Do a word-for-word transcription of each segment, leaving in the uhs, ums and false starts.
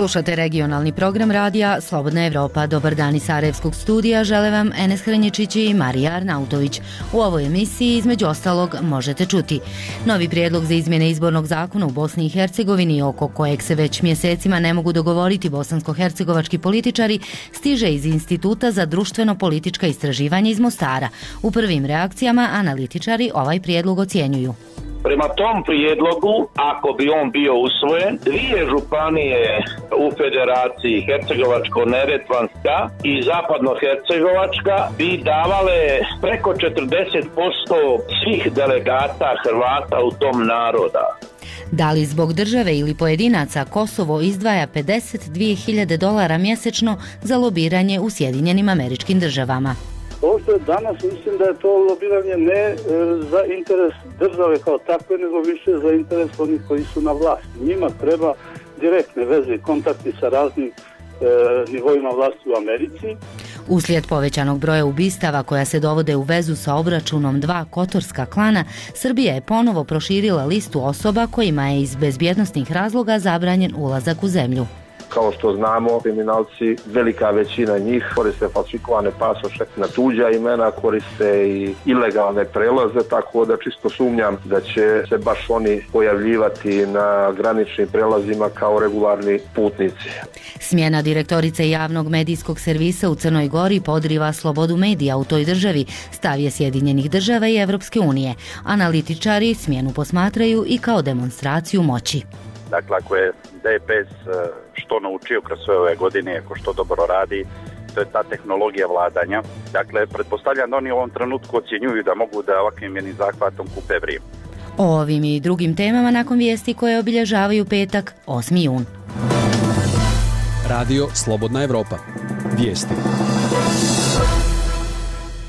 Slušate regionalni program radija Slobodna Evropa. Dobar dan iz Sarajevskog studija. Žele vam Enes Hrnječić i Marija Arnautović. U ovoj emisiji između ostalog možete čuti novi prijedlog za izmjene izbornog zakona u Bosni i Hercegovini, oko kojeg se već mjesecima ne mogu dogovoriti bosansko-hercegovački političari, stiže iz Instituta za društveno-politička istraživanja iz Mostara. U prvim reakcijama analitičari ovaj prijedlog ocjenjuju. Prema tom prijedlogu, ako bi on bio usvojen, dvije županije u federaciji, Hercegovačko-Neretvanska i Zapadno-Hercegovačka, bi davale preko četrdeset posto svih delegata Hrvata u tom naroda. Da li zbog države ili pojedinaca Kosovo izdvaja pedeset dvije hiljade dolara mjesečno za lobiranje u Sjedinjenim Američkim Državama? Ovo što je danas, mislim da je to lobiranje ne e, za interes države kao takve, nego više za interes onih koji su na vlasti. Njima treba direktne veze i kontakti sa raznim e, nivoima vlasti u Americi. Uslijed povećanog broja ubistava koja se dovode u vezu sa obračunom dva kotorska klana, Srbija je ponovo proširila listu osoba kojima je iz bezbjednosnih razloga zabranjen ulazak u zemlju. Kao što znamo, kriminalci, velika većina njih koriste falsifikovane pasoše na tuđa imena, koriste i ilegalne prelaze, tako da čisto sumnjam da će se baš oni pojavljivati na graničnim prelazima kao regularni putnici. Smjena direktorice javnog medijskog servisa u Crnoj Gori podriva slobodu medija u toj državi, stav je Sjedinjenih Država i Evropske unije. Analitičari smjenu posmatraju i kao demonstraciju moći. Dakle, ako je D P S što naučio kroz sve ove godine, ako što dobro radi, to je ta tehnologija vladanja. Dakle, pretpostavljam da oni u ovom trenutku ocjenjuju da mogu da ovakvim jednim zahvatom kupe vrijeme. O ovim i drugim temama nakon vijesti koje obilježavaju petak, osmi jun. Radio Slobodna Evropa. Vijesti.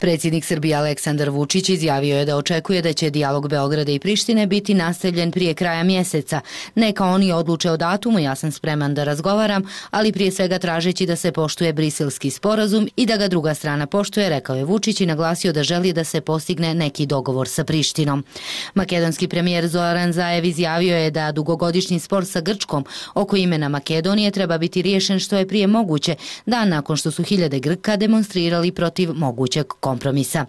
Predsjednik Srbije Aleksandar Vučić izjavio je da očekuje da će dijalog Beograda i Prištine biti nastavljen prije kraja mjeseca. Neka oni odluče o datumu, ja sam spreman da razgovaram, ali prije svega tražeći da se poštuje Briselski sporazum i da ga druga strana poštuje, rekao je Vučić i naglasio da želi da se postigne neki dogovor sa Prištinom. Makedonski premijer Zoran Zaev izjavio je da dugogodišnji spor sa Grčkom oko imena Makedonije treba biti riješen što je prije moguće, dan nakon što su hiljade Grka demonstrirali protiv mogućeg kompromisa.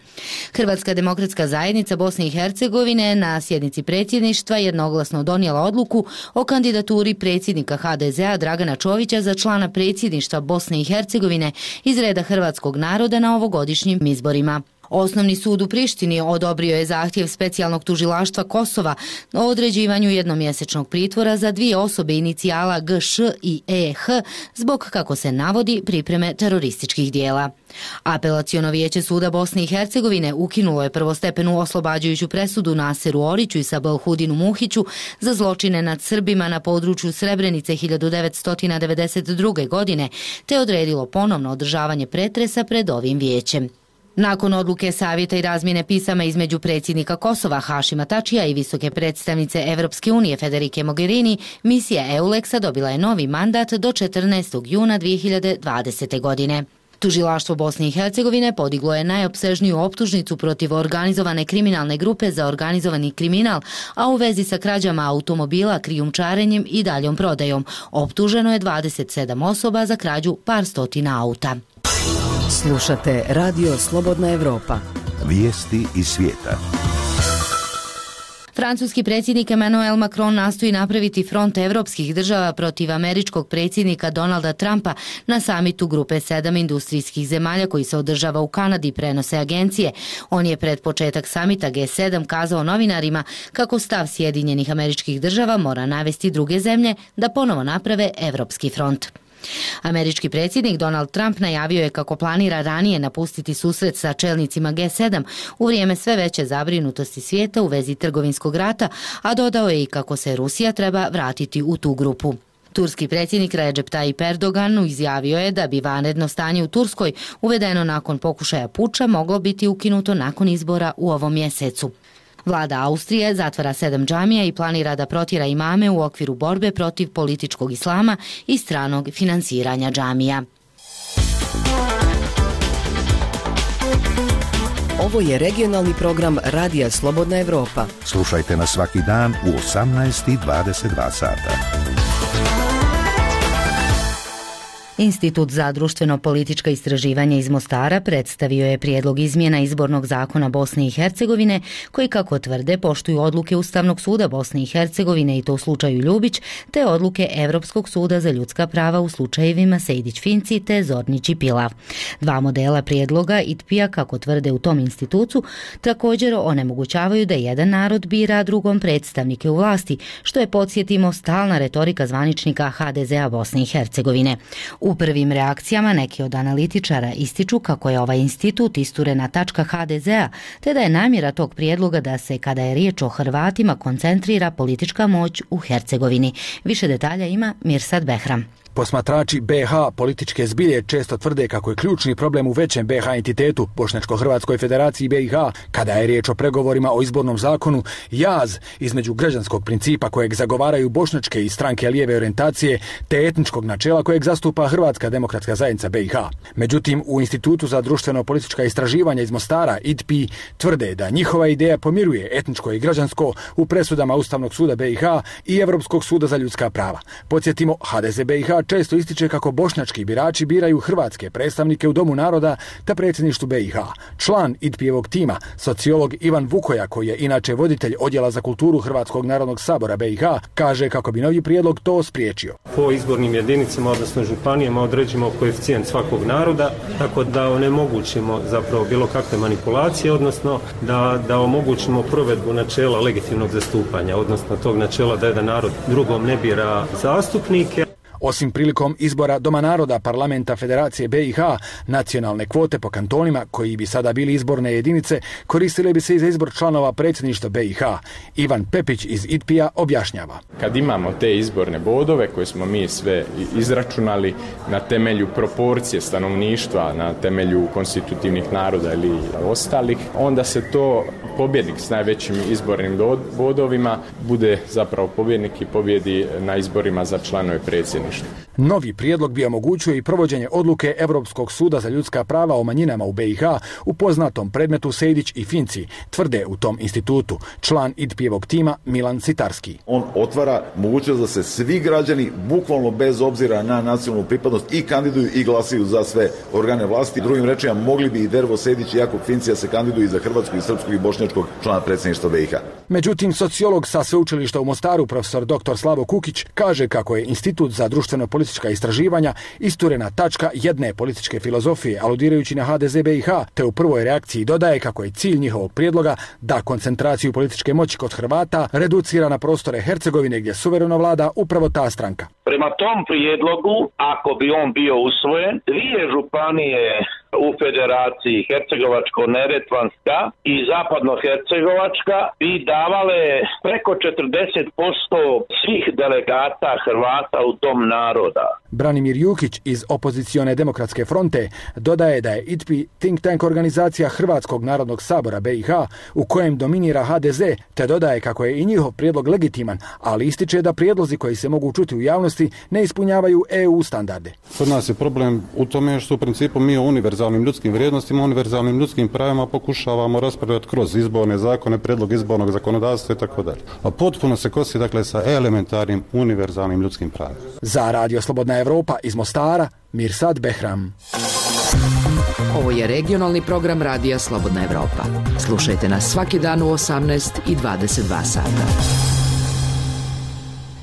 Hrvatska demokratska zajednica Bosne i Hercegovine na sjednici predsjedništva jednoglasno donijela odluku o kandidaturi predsjednika H D Z-a Dragana Čovića za člana predsjedništva Bosne i Hercegovine iz reda hrvatskog naroda na ovogodišnjim izborima. Osnovni sud u Prištini odobrio je zahtjev specijalnog tužilaštva Kosova o određivanju jednomjesečnog pritvora za dvije osobe inicijala G Š i E H zbog, kako se navodi, pripreme terorističkih dijela. Apelaciono vijeće suda Bosne i Hercegovine ukinulo je prvostepenu oslobađajuću presudu Naseru Oriću i Sabahudinu Muhiću za zločine nad Srbima na području Srebrenice hiljadu devetsto devedeset druge. godine, te odredilo ponovno održavanje pretresa pred ovim vijećem. Nakon odluke savjeta i razmjene pisama između predsjednika Kosova Hašima Tačija i visoke predstavnice Evropske unije Federike Mogherini, misija EULEX-a dobila je novi mandat do četrnaestog juna dvije hiljade dvadesete. godine. Tužilaštvo Bosne i Hercegovine podiglo je najopsežniju optužnicu protiv organizovane kriminalne grupe za organizovani kriminal, a u vezi sa krađama automobila, krijumčarenjem i daljom prodajom. Optuženo je dvadeset sedam osoba za krađu par stotina auta. Slušate Radio Slobodna Evropa. Vijesti iz svijeta. Francuski predsjednik Emmanuel Macron nastoji napraviti front evropskih država protiv američkog predsjednika Donalda Trumpa na samitu grupe sedam industrijskih zemalja koji se održava u Kanadi, prenose agencije. On je pred početak samita G sedam kazao novinarima kako stav Sjedinjenih Američkih Država mora navesti druge zemlje da ponovo naprave evropski front. Američki predsjednik Donald Trump najavio je kako planira ranije napustiti susret sa čelnicima G sedam u vrijeme sve veće zabrinutosti svijeta u vezi trgovinskog rata, a dodao je i kako se Rusija treba vratiti u tu grupu. Turski predsjednik Recep Tayyip Erdogan izjavio je da bi vanredno stanje u Turskoj, uvedeno nakon pokušaja puča, moglo biti ukinuto nakon izbora u ovom mjesecu. Vlada Austrije zatvara sedam džamija i planira da protjera imame u okviru borbe protiv političkog islama i stranog finansiranja džamija. Ovo je regionalni program Radija Slobodna Evropa. Slušajte nas svaki dan u osamnaest i dvadeset dva sata. Institut za društveno-politička istraživanja iz Mostara predstavio je prijedlog izmjena izbornog zakona Bosne i Hercegovine, koji, kako tvrde, poštuju odluke Ustavnog suda Bosne i Hercegovine i to u slučaju Ljubić, te odluke Evropskog suda za ljudska prava u slučajevima Sejdić-Finci te Zornić i Pilav. Dva modela prijedloga I T P I-a, kako tvrde u tom institutu, također onemogućavaju da jedan narod bira drugom predstavnike u vlasti, što je, podsjetimo, stalna retorika zvaničnika H D Z-a Bosne i Hercegovine. U prvim reakcijama neki od analitičara ističu kako je ovaj institut isturena tačka H D Z-a, te da je namjera tog prijedloga da se, kada je riječ o Hrvatima, koncentrira politička moć u Hercegovini. Više detalja ima Mirsad Behram. Posmatrači B H političke zbilje često tvrde kako je ključni problem u većem B H entitetu, Bošnjačko-Hrvatskoj federaciji B i H, kada je riječ o pregovorima o izbornom zakonu, jaz između građanskog principa kojeg zagovaraju bošnjačke i stranke lijeve orijentacije, te etničkog načela kojeg zastupa Hrvatska demokratska zajednica B i H. Međutim, u Institutu za društveno-politička istraživanja iz Mostara I T P I tvrde da njihova ideja pomiruje etničko i građansko u presudama Ustavnog suda B i H i Evropskog suda za ljudska prava. Podsjetimo, H D Z B i H često ističe kako bošnjački birači biraju hrvatske predstavnike u Domu naroda te predsjedništvu B i H. Član I T P I-evog tima, sociolog Ivan Vukoja, koji je inače voditelj Odjela za kulturu Hrvatskog narodnog sabora B i H, kaže kako bi novi prijedlog to spriječio. Po izbornim jedinicama, odnosno županijama, određujemo koeficijent svakog naroda, tako da onemogućimo zapravo bilo kakve manipulacije, odnosno da, da omogućimo provedbu načela legitimnog zastupanja, odnosno tog načela da jedan narod drugom ne bira zastupnike. Osim prilikom izbora Doma naroda Parlamenta Federacije B i H, nacionalne kvote po kantonima, koji bi sada bili izborne jedinice, koristile bi se i za izbor članova predsjedništva B i H. Ivan Pepić iz I T P I-a objašnjava. Kad imamo te izborne bodove koje smo mi sve izračunali na temelju proporcije stanovništva, na temelju konstitutivnih naroda ili ostalih, onda se to pobjednik s najvećim izbornim bodovima bude zapravo pobjednik i pobjedi na izborima za članove predsjedništva. Novi prijedlog bi omogućio i provođenje odluke Evropskog suda za ljudska prava o manjinama u B i H u poznatom predmetu Sejdić i Finci, tvrde u tom institutu član I T P I-evog tima Milan Citarski. On otvara mogućnost da se svi građani, bukvalno bez obzira na nacionalnu pripadnost, i kandiduju i glasaju za sve organe vlasti. Drugim rečima, mogli bi i Dervo Sejdić i Jakub Finci da se kandiduju i za hrvatskog i srpskog i bošnjačkog člana predsjedništva B i H. Međutim, sociolog sa sveučilišta u Mostaru, profesor doktor Slavo Kukić, kaže kako je Institut za društveno-politička istraživanja isturena tačka jedne političke filozofije, aludirajući na H D Z B i H, te u prvoj reakciji dodaje kako je cilj njihovog prijedloga da koncentraciju političke moći kod Hrvata reducira na prostore Hercegovine gdje suvereno vlada upravo ta stranka. Prema tom prijedlogu, ako bi on bio usvojen, dvije županije u Federaciji Hercegovačko-Neretvanska i Zapadno-Hercegovačka bi davale preko četrdeset posto svih delegata Hrvata u Dom naroda. Branimir Jukić iz Opozicione demokratske fronte dodaje da je I T P I think tank organizacija Hrvatskog narodnog sabora B i H u kojem dominira H D Z, te dodaje kako je i njihov prijedlog legitiman, ali ističe da prijedlozi koji se mogu čuti u javnosti ne ispunjavaju E U standarde. Kod nas je problem u tome što u principu mi o univerzalnim ljudskim vrijednostima, univerzalnim ljudskim pravima pokušavamo raspravljati kroz izborne zakone, prijedlog izbornog zakonodavstva i tako dalje. A potpuno se kosi dakle sa elementarnim univerzalnim ljudskim pravima. Za Radio Slobodna Evropa iz Mostara, Mirsad Behram. Ovo je regionalni program Radija Slobodna Evropa. Slušajte nas svaki dan u osamnaest i dvadeset dva sata.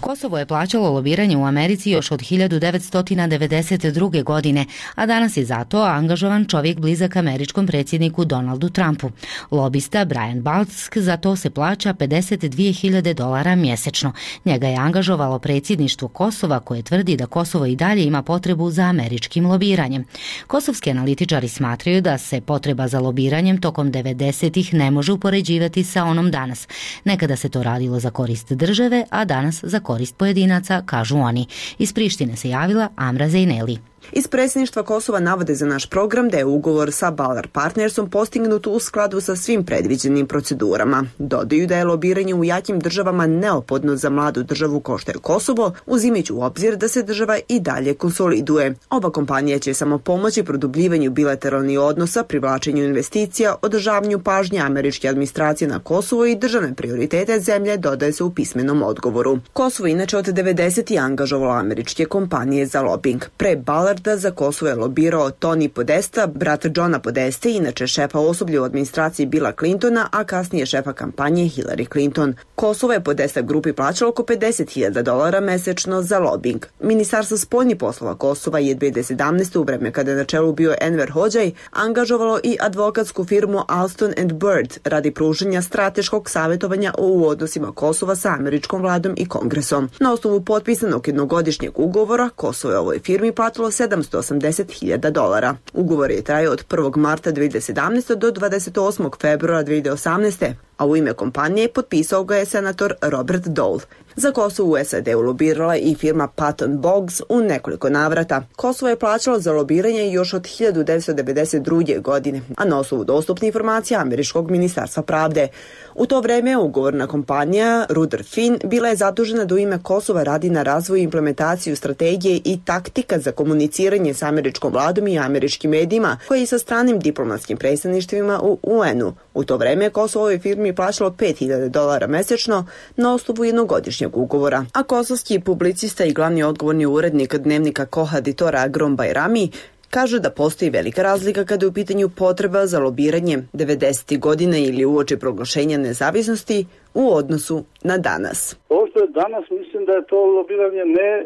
Kosovo je plaćalo lobiranje u Americi još od hiljadu devetsto devedeset druge. godine, a danas je zato angažovan čovjek blizak američkom predsjedniku Donaldu Trumpu. Lobista Brian Balck za to se plaća pedeset dvije hiljade dolara mjesečno. Njega je angažovalo predsjedništvo Kosova, koje tvrdi da Kosovo i dalje ima potrebu za američkim lobiranjem. Kosovski analitičari smatraju da se potreba za lobiranjem tokom devedesetih ne može upoređivati sa onom danas. Nekada se to radilo za korist države, a danas za korist pojedinaca, kažu oni. Iz Prištine se javila Amra Zejneli. Iz predsjedništva Kosova navode za naš program da je ugovor sa Ballard Partnersom postignut u skladu sa svim predviđenim procedurama. Dodaju da je lobiranje u jakim državama neophodno za mladu državu kao što je Kosovo, uzimajući u obzir da se država i dalje konsoliduje. Ova kompanija će samo pomoći produbljivanju bilateralnih odnosa, privlačenju investicija, održavanju pažnje američke administracije na Kosovo i državne prioritete zemlje, dodaje se u pismenom odgovoru. Kosovo inače od devedesetih angažovalo američke kompanije za lobing. Pre Ballard Billarda za Kosovo je lobirao Tony Podesta, brat Johna Podeste, inače šefa osoblja u administraciji Billa Clintona, a kasnije šefa kampanje Hillary Clinton. Kosovo je Podesta grupi plaćalo oko pedeset hiljada dolara mesečno za lobing. Ministarstvo spoljnih poslova Kosova je dve hiljade sedamnaeste. u vreme kada je na čelu bio Enver Hodžaj, angažovalo i advokatsku firmu Alston and Bird radi pružanja strateškog savjetovanja u odnosima Kosova sa američkom vladom i kongresom. Na osnovu potpisanog jednogodišnjeg ugovora, Kosovo je ovoj firmi platilo sedamsto osamdeset hiljada dolara. Ugovor je trajao od prvog marta dve hiljade sedamnaeste. do dvadeset osmog februara dve hiljade osamnaeste. a u ime kompanije potpisao ga je senator Robert Dole. Za Kosovo u S A D-u lobirala i firma Patton Boggs u nekoliko navrata. Kosovo je plaćalo za lobiranje još od hiljadu devetsto devedeset druge. godine, a na osnovu dostupne informacija Američkog ministarstva pravde. U to vreme ugovorna kompanija Ruder Finn bila je zadužena da u ime Kosova radi na razvoju i implementaciju strategije i taktika za komuniciranje s američkom vladom i američkim medijima, koji i sa stranim diplomatskim predstavništvima u U N-u. U to vreme Kosovo ovoj firmi plaćalo pet hiljada dolara mesečno na osnovu jednogodišnjeg ugovora. A kosovski publicista i glavni odgovorni urednik dnevnika Kohaditora Agrom Bajrami kaže da postoji velika razlika kada je u pitanju potreba za lobiranje devedesetih godina ili uoči proglašenja nezavisnosti u odnosu na danas. Ovo što je danas, mislim da je to lobiranje ne e,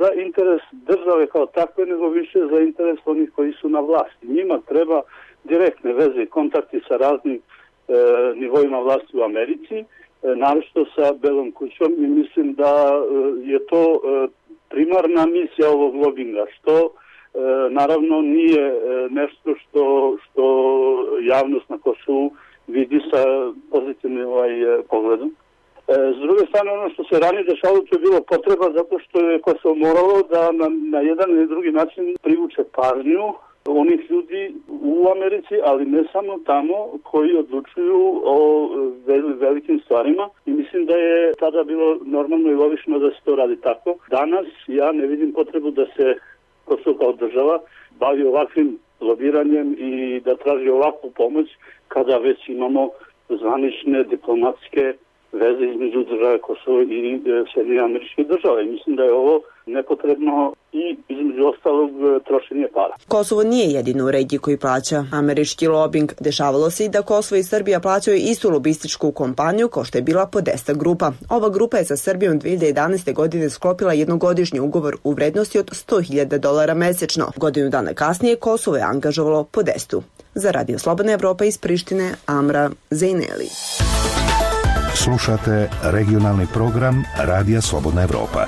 za interes države kao takve, nego više za interes onih koji su na vlasti. Njima treba direktne veze i kontakti sa raznim e, nivoima vlasti u Americi, e, naročito sa Belom kućom, i mislim da e, je to e, primarna misija ovog lobinga, što E, naravno nije e, nešto što, što javnost na Kosovu vidi sa pozitivnim ovaj, e, pogledom. E, s druge strane, ono što se ranije dešavalo, to je bilo potreba zato što je Kosovo moralo da na, na jedan ili drugi način privuče pažnju onih ljudi u Americi, ali ne samo tamo, koji odlučuju o vel, velikim stvarima, i mislim da je tada bilo normalno i logično da se to radi tako. Danas ja ne vidim potrebu da se Kosovo kao država bavi ovakvim lobiranjem i da traži ovakvu pomoć kada već imamo zvanične diplomatske veze između države Kosovo i Sjedinjenih Američkih Država. I mislim da je ovo nepotrebno i između ostalog trošenje para. Kosovo nije jedino u regiji koji plaća američki lobing. Dešavalo se i da Kosovo i Srbija plaćaju istu lobističku kompaniju kao što je bila Podesta grupa. Ova grupa je sa Srbijom dve hiljade jedanaeste. godine sklopila jednogodišnji ugovor u vrednosti od sto hiljada dolara mesečno. Godinu dana kasnije Kosovo je angažovalo Podestu. Za Radio Slobodna Evropa iz Prištine, Amra Zejneli. Slušate regionalni program Radija Slobodna Evropa.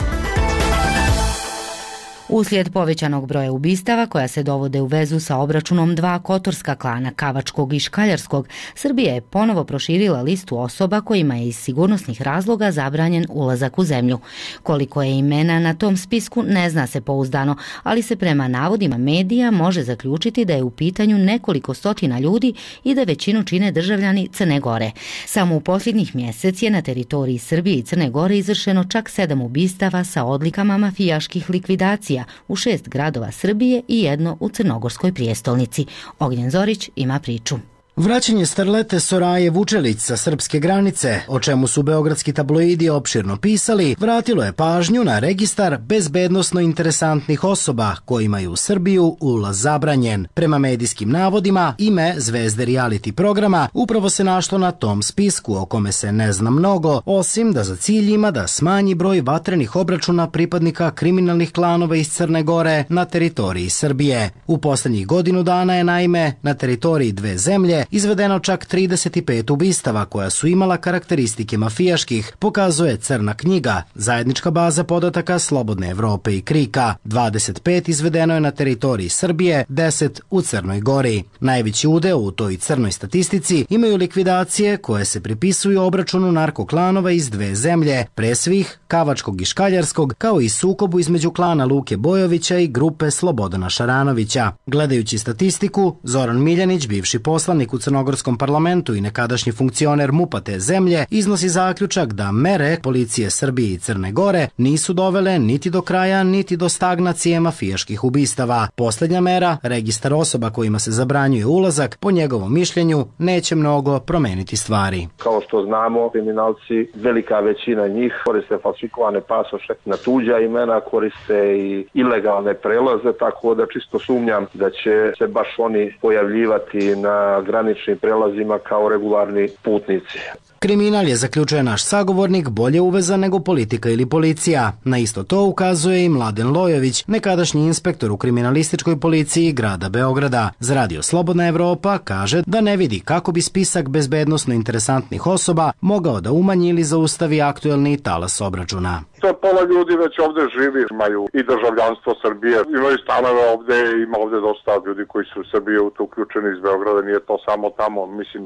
Uslijed povećanog broja ubistava koja se dovode u vezu sa obračunom dva kotorska klana, Kavačkog i Škaljarskog, Srbija je ponovo proširila listu osoba kojima je iz sigurnosnih razloga zabranjen ulazak u zemlju. Koliko je imena na tom spisku ne zna se pouzdano, ali se prema navodima medija može zaključiti da je u pitanju nekoliko stotina ljudi i da većinu čine državljani Crne Gore. Samo u posljednjih mjesec je na teritoriji Srbije i Crne Gore izvršeno čak sedam ubistava sa odlikama mafijaških likvidacija u šest gradova Srbije i jedno u crnogorskoj prijestolnici. Ognjen Zorić ima priču. Vraćanje starlete Soraje Vučelić sa srpske granice, o čemu su beogradski tabloidi opširno pisali, vratilo je pažnju na registar bezbednosno interesantnih osoba kojima je u Srbiju ulaz zabranjen. Prema medijskim navodima, ime zvezde reality programa upravo se našlo na tom spisku, o kome se ne zna mnogo, osim da za cilj ima da smanji broj vatrenih obračuna pripadnika kriminalnih klanova iz Crne Gore na teritoriji Srbije. U poslednjih godinu dana je naime na teritoriji dve zemlje izvedeno čak trideset pet ubistava koja su imala karakteristike mafijaških, pokazuje Crna knjiga, zajednička baza podataka Slobodne Evrope i Krika. dvadeset pet izvedeno je na teritoriji Srbije, deset u Crnoj Gori. Najveći udeo u toj crnoj statistici imaju likvidacije koje se pripisuju obračunu narkoklanova iz dve zemlje, pre svih Kavačkog i Škaljarskog, kao i sukobu između klana Luke Bojovića i grupe Slobodana Šaranovića. Gledajući statistiku, Zoran Miljanić, bivši poslanik poslanik u crnogorskom parlamentu i nekadašnji funkcioner MUP-a te zemlje, iznosi zaključak da mere policije Srbije i Crne Gore nisu dovele niti do kraja, niti do stagnacije mafijaških ubistava. Posljednja mera, registar osoba kojima se zabranjuje ulazak, po njegovom mišljenju, neće mnogo promeniti stvari. Kao što znamo, kriminalci, velika većina njih koriste falsifikovane pasoše na tuđa imena, koriste i ilegalne prelaze, tako da čisto sumnjam da će se baš oni pojavljivati na graničnim prelazima kao regularni putnici. Kriminal je, zaključuje naš sagovornik, bolje uvezan nego politika ili policija. Na isto to ukazuje i Mladen Lojović, nekadašnji inspektor u kriminalističkoj policiji grada Beograda. Za Radio Slobodna Evropa kaže da ne vidi kako bi spisak bezbednosno interesantnih osoba mogao da umanji ili zaustavi aktuelni talas obračuna. To pola ljudi već ovde živi, imaju i državljanstvo Srbije, imaju stanove ovde, ima ovde dosta ljudi koji su u Srbiji uključeni iz Beograda, nije to samo tamo, mislim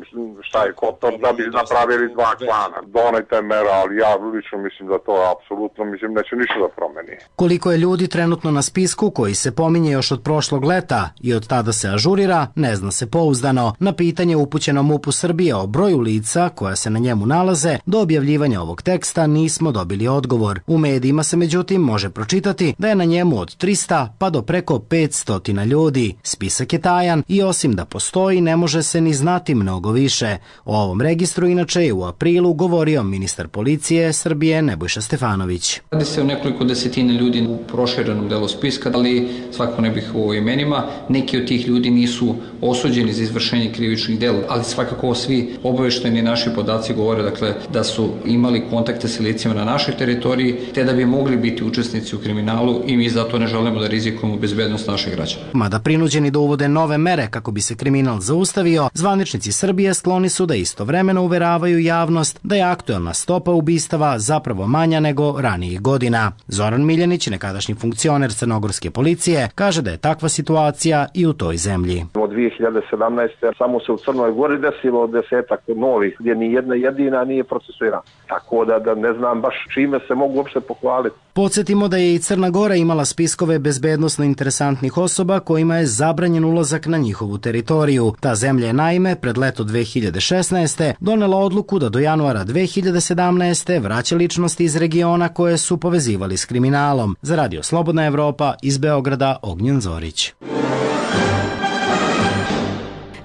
šta je Kotor da bi napravili dva klana. Donajte mera, ali ja lično mislim da to apsolutno mislim neće ništa da promeni. Koliko je ljudi trenutno na spisku koji se pominje još od prošlog leta i od tada se ažurira, ne zna se pouzdano. Na pitanje upućeno MUP-u Srbije o broju lica koja se na njemu nalaze, do objavljivanja ovog teksta nismo dobili odgovor. U medijima se međutim može pročitati da je na njemu od trista pa do preko petsto ljudi. Spisak je tajan i osim da postoji ne može se ni znati mnogo više. O ovom registru inače je u aprilu govorio ministar policije Srbije Nebojša Stefanović. Radi se o nekoliko desetina ljudi u proširenom delu spiska, ali svakako ne bih o imenima. Neki od tih ljudi nisu osuđeni za izvršenje krivičnih dela, ali svakako svi obaveštajni naši podaci govore dakle, da su imali kontakte sa licima na našoj teritoriji, te da bi mogli biti učesnici u kriminalu i mi zato ne želimo da rizikujemo bezbednost naših građana. Mada prinuđeni da uvode nove mere kako bi se kriminal zaustavio, zvaničnici Srbije skloni su da istovremeno uveravaju javnost da je aktuelna stopa ubistava zapravo manja nego ranijih godina. Zoran Miljanić, nekadašnji funkcioner crnogorske policije, kaže da je takva situacija i u toj zemlji. Od dvije hiljade sedamnaeste. samo se u Crnoj Gori desilo desetak novih gdje ni jedna jedina nije procesuirana. Tako da, da ne znam baš čime se mogu uopšte pohvaliti. Podsjetimo da je i Crna Gora imala spiskove bezbednosno interesantnih osoba kojima je zabranjen ulazak na njihovu teritoriju. Ta zemlja je naime pred leto dve hiljade šesnaeste. donela odluku da do januara dve hiljade sedamnaeste. vraća ličnosti iz regiona koje su povezivali s kriminalom. Za Radio Slobodna Evropa iz Beograda, Ognjen Zorić.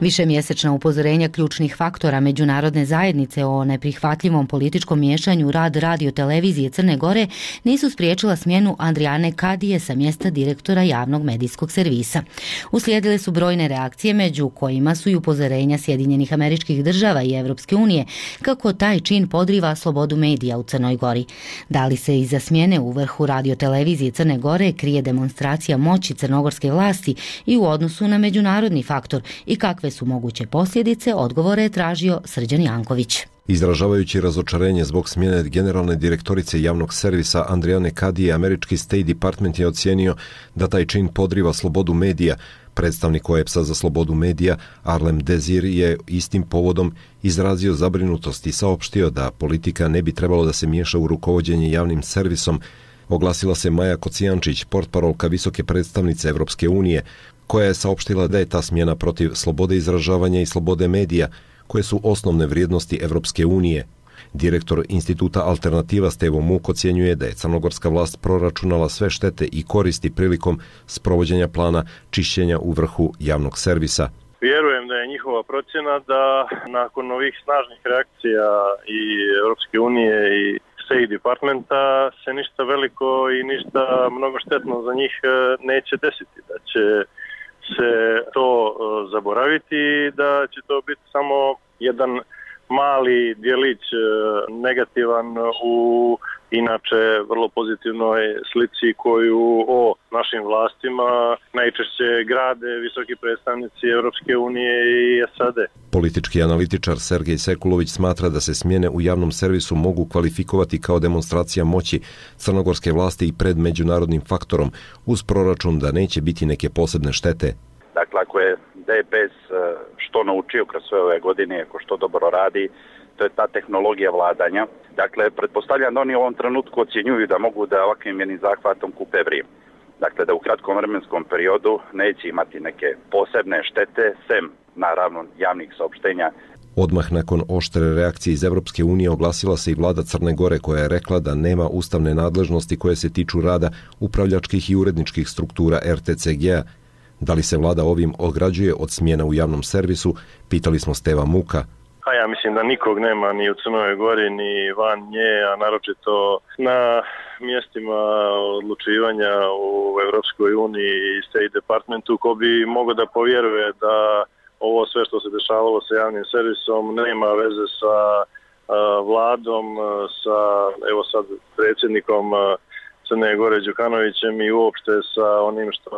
Višemjesečna upozorenja ključnih faktora međunarodne zajednice o neprihvatljivom političkom miješanju u rad radio-televizije Crne Gore nisu spriječila smjenu Andrijane Kadije sa mjesta direktora javnog medijskog servisa. Uslijedile su brojne reakcije, među kojima su i upozorenja Sjedinjenih Američkih Država i Evropske unije kako taj čin podriva slobodu medija u Crnoj Gori. Da li se iza smjene u vrhu radio-televizije Crne Gore krije demonstracija moći crnogorske vlasti i u odnosu na međunarodni faktor i kakve su moguće posljedice, odgovore je tražio Srđan Janković. Izražavajući razočarenje zbog smjene generalne direktorice javnog servisa Andrijane Kadije, američki State Department je ocijenio da taj čin podriva slobodu medija. Predstavnik O E P S-a za slobodu medija Arlem Dezir je istim povodom izrazio zabrinutost i saopštio da politika ne bi trebalo da se miješa u rukovođenje javnim servisom. Oglasila se Maja Kocijančić, portparolka visoke predstavnice Evropske unije, koja je saopštila da je ta smjena protiv slobode izražavanja i slobode medija, koje su osnovne vrijednosti Evropske unije. Direktor instituta Alternativa Stevo Muk ocjenjuje da je crnogorska vlast proračunala sve štete i koristi prilikom sprovođenja plana čišćenja u vrhu javnog servisa. Vjerujem da je njihova procjena da nakon ovih snažnih reakcija i Evropske unije i State Departmenta se ništa veliko i ništa mnogo štetno za njih neće desiti, da će se to zaboraviti, da će to biti samo jedan mali djelić negativan u inače vrlo pozitivnoj slici koju o našim vlastima najčešće grade visoki predstavnici Evropske unije i S A D. Politički analitičar Sergej Sekulović smatra da se smjene u javnom servisu mogu kvalifikovati kao demonstracija moći crnogorske vlasti i pred međunarodnim faktorom, uz proračun da neće biti neke posebne štete. Dakle, ako je D P S što naučio kroz sve ove godine, ako što dobro radi, to je ta tehnologija vladanja. Dakle, pretpostavljam da oni u ovom trenutku ocjenjuju da mogu da ovakvim jednim zahvatom kupe vrijeme. Dakle, da u kratkom vremenskom periodu neće imati neke posebne štete, sem naravno javnih saopštenja. Odmah nakon oštre reakcije iz Evropske unije oglasila se i vlada Crne Gore koja je rekla da nema ustavne nadležnosti koje se tiču rada upravljačkih i uredničkih struktura er te ce ge a. Da li se vlada ovim ograđuje od smjena u javnom servisu, pitali smo Steva Muka. A ja mislim da nikog nema ni u Crnoj Gori, ni van nje, a naročito na mjestima odlučivanja u Evropskoj uniji i State Departmentu, ko bi mogao da povjeruje da ovo sve što se dešavalo sa javnim servisom nema veze sa a, vladom, sa evo sad predsjednikom Crne Gore Đukanovićem i uopšte sa onim što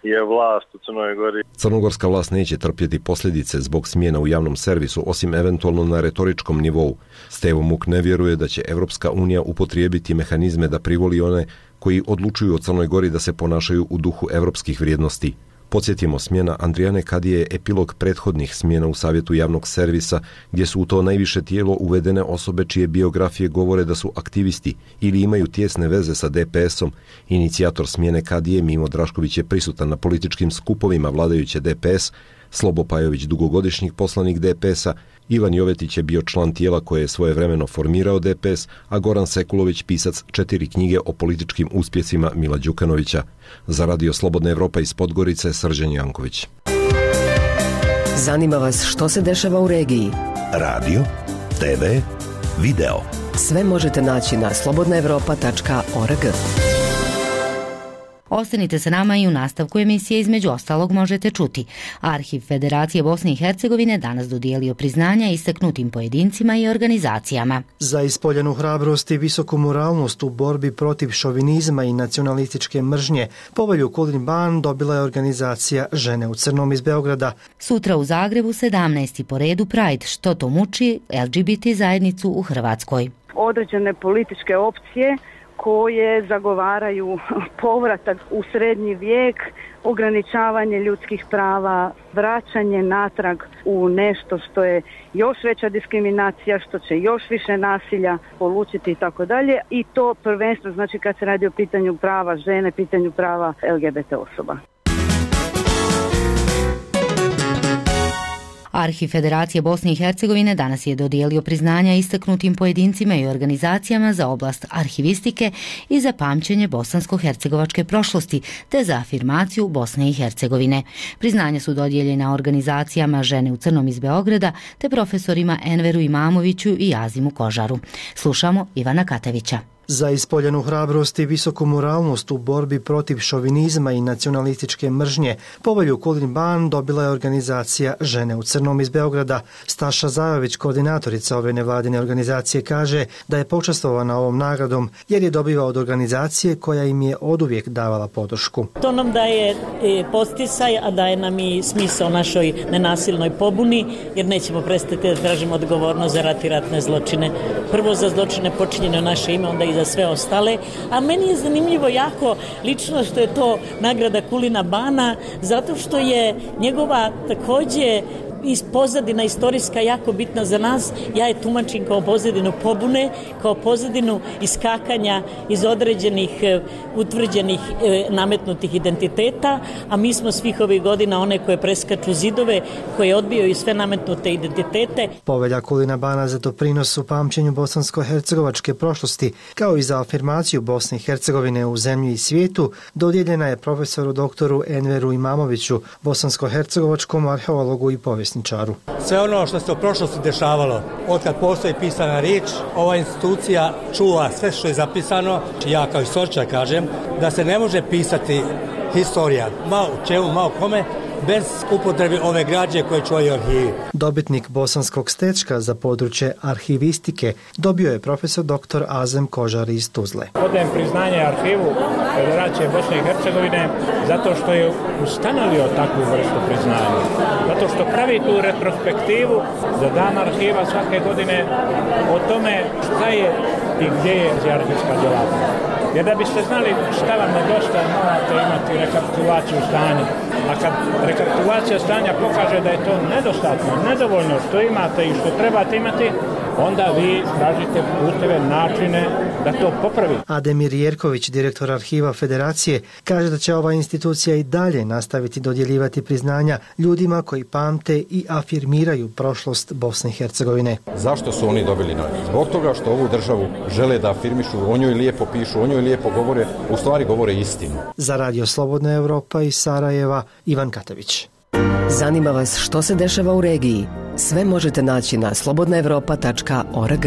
je vlast u Crnoj Gori. Crnogorska vlast neće trpjeti posljedice zbog smjena u javnom servisu, osim eventualno na retoričkom nivou. Stevo Muk ne vjeruje da će Evropska unija upotrijebiti mehanizme da privoli one koji odlučuju o Crnoj Gori da se ponašaju u duhu evropskih vrijednosti. Podsjetimo, smjena Andrijane Kadije je epilog prethodnih smjena u Savjetu javnog servisa, gdje su u to najviše tijelo uvedene osobe čije biografije govore da su aktivisti ili imaju tijesne veze sa de pe esom. Inicijator smjene Kadije, Mimo Drašković, je prisutan na političkim skupovima vladajuće de pe es, Slobo Pajović, dugogodišnji poslanik de pe esa, Ivan Jovetić je bio član tijela koje je svojevremeno formirao de pe es, a Goran Sekulović pisac četiri knjige o političkim uspjesima Mila Đukanovića. Za Radio Slobodna Evropa iz Podgorice, Srđan Janković. Zanima vas što se dešava u regiji? Radio, te ve, video. Sve možete naći na slobodna evropa tačka org. Ostanite sa nama i u nastavku emisije između ostalog možete čuti. Arhiv Federacije Bosne i Hercegovine danas dodijelio priznanja istaknutim pojedincima i organizacijama. Za ispoljenu hrabrost i visoku moralnost u borbi protiv šovinizma i nacionalističke mržnje povelju Kulin Ban dobila je organizacija Žene u crnom iz Beograda. Sutra u Zagrebu sedamnaesti po redu Pride, što to muči el ge be te zajednicu u Hrvatskoj. Određene političke opcije koje zagovaraju povratak u srednji vijek, ograničavanje ljudskih prava, vraćanje natrag u nešto što je još veća diskriminacija, što će još više nasilja polučiti i tako dalje. I to prvenstveno znači kad se radi o pitanju prava žene, pitanju prava el ge be te osoba. Arhiv Federacije Bosne i Hercegovine danas je dodijelio priznanja istaknutim pojedincima i organizacijama za oblast arhivistike i za pamćenje bosansko-hercegovačke prošlosti, te za afirmaciju Bosne i Hercegovine. Priznanja su dodijeljena organizacijama Žene u crnom iz Beograda, te profesorima Enveru Imamoviću i Azimu Kožaru. Slušamo Ivana Katevića. Za ispoljenu hrabrost i visoku moralnost u borbi protiv šovinizma i nacionalističke mržnje povelju Kulin Ban dobila je organizacija Žene u crnom iz Beograda. Staša Zajović, koordinatorica ove nevladine organizacije, kaže da je počastvovana ovom nagradom jer je dobiva od organizacije koja im je oduvijek davala podršku. To nam daje posticaj, a daje nam i smisao našoj nenasilnoj pobuni, jer nećemo prestati da tražimo odgovornost za rat i ratne zločine. Prvo za zločine počinjene u naše ime, onda i za sve ostale, a meni je zanimljivo jako lično što je to nagrada Kulina Bana, zato što je njegova također iz pozadina istorijska jako bitna za nas. Ja je tumačim kao pozadinu pobune, kao pozadinu iskakanja iz određenih utvrđenih nametnutih identiteta, a mi smo svih ovih godina one koje preskaču zidove, koje odbijaju sve nametnute identitete. Povelja Kulina Bana za doprinos u pamćenju bosansko-hercegovačke prošlosti, kao i za afirmaciju Bosne i Hercegovine u zemlji i svijetu, dodijeljena je profesoru doktoru Enveru Imamoviću, bosansko-hercegovačkom arheologu i povjesničaru. Sve ono što se u prošlosti dešavalo, od kad postoji pisana riječ, ova institucija čuva sve što je zapisano. Ja kao istoričar kažem da se ne može pisati historija, malo čemu, malo kome, bez upotrebe ove građe koje čuvaju arhivi. Dobitnik bosanskog stečka za područje arhivistike dobio je profesor doktor Azem Kožar iz Tuzle. Odajem priznanje arhivu Federacije Bosne i Hercegovine zato što je ustanovio takvu vrstu priznanja. Zato što pravi tu retrospektivu za dan arhiva svake godine o tome šta je i gdje je arhivska djelatnost. Jer da biste znali šta vam nedostaje, morate imati rekapitulaciju stanja. A kad rekapitulacija stanja pokaže da je to nedostatno, nedovoljno što imate i što trebate imati, onda vi tražite puteve, načine da to popravi. Ademir Jerković, direktor Arhiva Federacije, kaže da će ova institucija i dalje nastaviti dodjeljivati priznanja ljudima koji pamte i afirmiraju prošlost Bosne i Hercegovine. Zašto su oni dobili nagradu? Zbog toga što ovu državu žele da afirmišu, o njoj lijepo pišu, o njoj lijepo govore, u stvari govore istinu. Za Radio Slobodna Evropa iz Sarajeva, Ivan Katavić. Zanima vas što se dešava u regiji? Sve možete naći na slobodna evropa tačka org.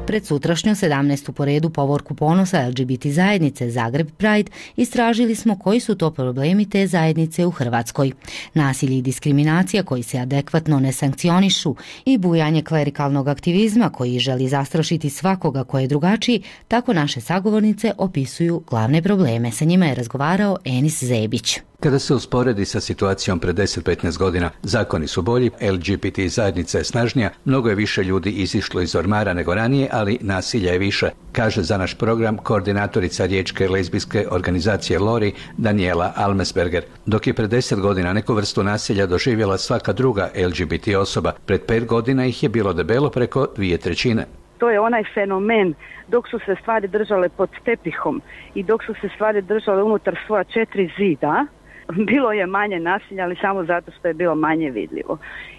Pred sutrašnju sedamnaestu po redu povorku ponosa el ge be te zajednice Zagreb Pride istražili smo koji su to problemi te zajednice u Hrvatskoj. Nasilje i diskriminacija koji se adekvatno ne sankcionišu i bujanje klerikalnog aktivizma koji želi zastrašiti svakoga ko je drugačiji, tako naše sagovornice opisuju glavne probleme. Sa njima je razgovarao Enis Zebić. Kada se usporedi sa situacijom pred deset do petnaest godina, zakoni su bolji, el ge be te zajednica je snažnija, mnogo je više ljudi izišlo iz ormara nego ranije, ali nasilja je više, kaže za naš program koordinatorica riječke lezbijske organizacije Lori, Daniela Almesberger. Dok je pred deset godina neku vrstu nasilja doživjela svaka druga el ge be te osoba, pred pet godina ih je bilo debelo preko dvije trećine. To je onaj fenomen dok su se stvari držale pod tepihom i dok su se stvari držale unutar svoja četiri zida, bilo je manje nasilja, ali samo zato što je bilo manje vidljivo.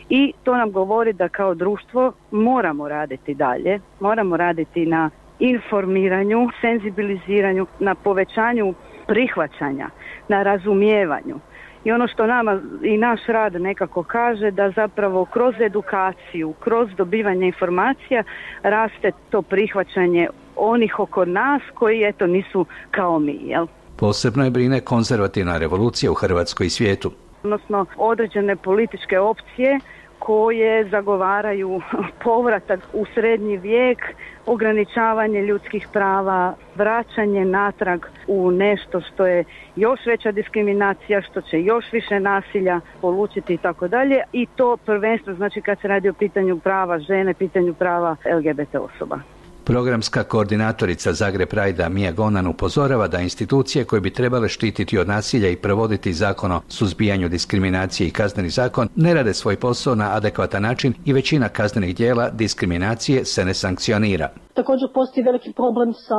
I to nam govori da kao društvo moramo raditi dalje, moramo raditi na informiranju, senzibiliziranju, na povećanju prihvaćanja, na razumijevanju. I ono što nama i naš rad nekako kaže da zapravo kroz edukaciju, kroz dobivanje informacija raste to prihvaćanje onih oko nas koji eto nisu kao mi, jel? Posebno je brine konzervativna revolucija u Hrvatskoj i svijetu. Odnosno određene političke opcije koje zagovaraju povratak u srednji vijek, ograničavanje ljudskih prava, vraćanje natrag u nešto što je još veća diskriminacija, što će još više nasilja polučiti i tako dalje. I to prvenstveno znači kad se radi o pitanju prava žene, pitanju prava el ge be te osoba. Programska koordinatorica Zagreb Pride Mija Gonan upozorava da institucije koje bi trebale štititi od nasilja i provoditi zakon o suzbijanju diskriminacije i kazneni zakon ne rade svoj posao na adekvatan način i većina kaznenih djela diskriminacije se ne sankcionira. Također postoji veliki problem sa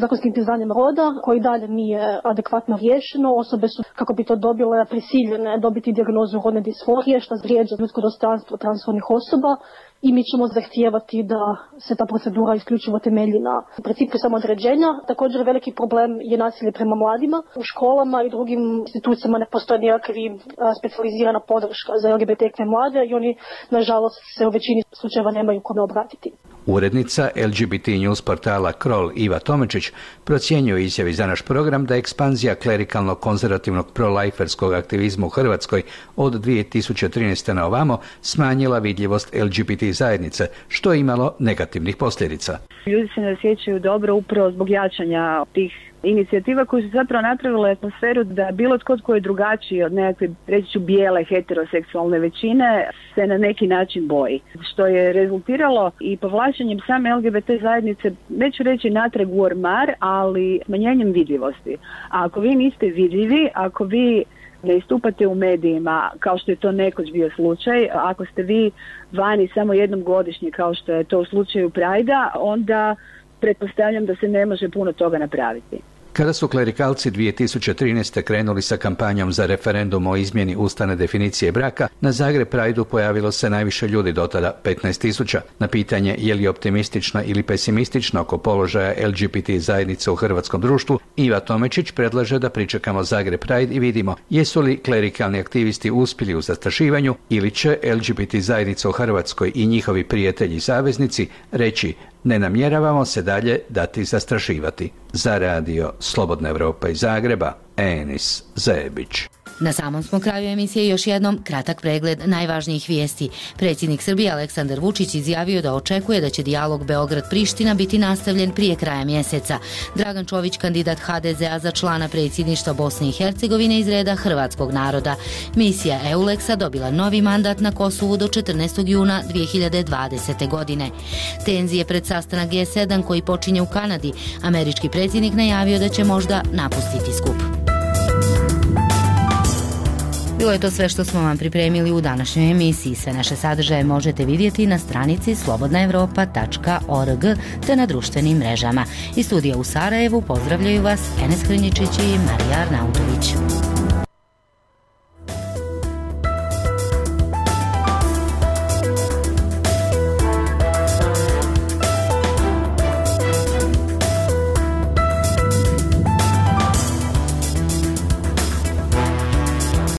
zakonskim priznanjem roda koji dalje nije adekvatno riješeno. Osobe su, kako bi to dobile, prisiljene dobiti dijagnozu rodne disforije što vrijeđa ljudsko dostojanstvo transrodnih osoba. I mi ćemo zahtijevati da se ta procedura isključivo temelji na principu samoodređenja. Također veliki problem je nasilje prema mladima. U školama i drugim institucijama ne postoji nikakvi specijalizirana podrška za el ge be te mlade i oni, nažalost, se u većini slučajeva nemaju kome obratiti. Urednica el ge be te news portala Krol Iva Tomečić procjenjuje u izjavi za naš program da ekspanzija klerikalnog konzervativnog pro-liferskog aktivizma u Hrvatskoj od dvije tisuće trinaeste. na ovamo smanjila vidljivost el ge be te zajednice, što je imalo negativnih posljedica. Ljudi se ne osjećaju dobro upravo zbog jačanja tih inicijativa koje su zapravo napravile atmosferu da bilo tko tko je drugačiji od nekakve, reći ću, bijele heteroseksualne većine se na neki način boji. Što je rezultiralo i povlačenjem same el ge be te zajednice, neću reći natrag u ormar, ali smanjenjem vidljivosti. A ako vi niste vidljivi, ako vi ne istupate u medijima kao što je to nekoć bio slučaj, ako ste vi vani samo jednom godišnje kao što je to u slučaju Prajda, onda pretpostavljam da se ne može puno toga napraviti. Kada su klerikalci dvije tisuće trinaeste. krenuli sa kampanjom za referendum o izmjeni ustavne definicije braka, na Zagreb Prideu pojavilo se najviše ljudi do tada, petnaest tisuća. Na pitanje je li optimistična ili pesimistična oko položaja el ge be te zajednice u hrvatskom društvu, Iva Tomečić predlaže da pričekamo Zagreb Pride i vidimo jesu li klerikalni aktivisti uspjeli u zastrašivanju ili će el ge be te zajednica u Hrvatskoj i njihovi prijatelji i saveznici reći ne namjeravamo se dalje dati zastrašivati. Za radio Slobodna Evropa iz Zagreba, Enis Zebić. Na samom smo kraju emisije još jednom kratak pregled najvažnijih vijesti. Predsjednik Srbije Aleksandar Vučić izjavio da očekuje da će dijalog Beograd-Priština biti nastavljen prije kraja mjeseca. Dragan Čović, kandidat ha de zea za člana predsjedništva Bosne i Hercegovine iz reda hrvatskog naroda. Misija EULEX-a dobila novi mandat na Kosovu do četrnaestog juna dvije hiljade dvadesete. godine. Tenzije pred sastanak ge sedam koji počinje u Kanadi. Američki predsjednik najavio da će možda napustiti skup. Bilo je to sve što smo vam pripremili u današnjoj emisiji. Sve naše sadržaje možete vidjeti na stranici slobodna evropa tačka org te na društvenim mrežama. Iz studija u Sarajevu pozdravljaju vas Enes Hrnjičić i Marija Arnautović.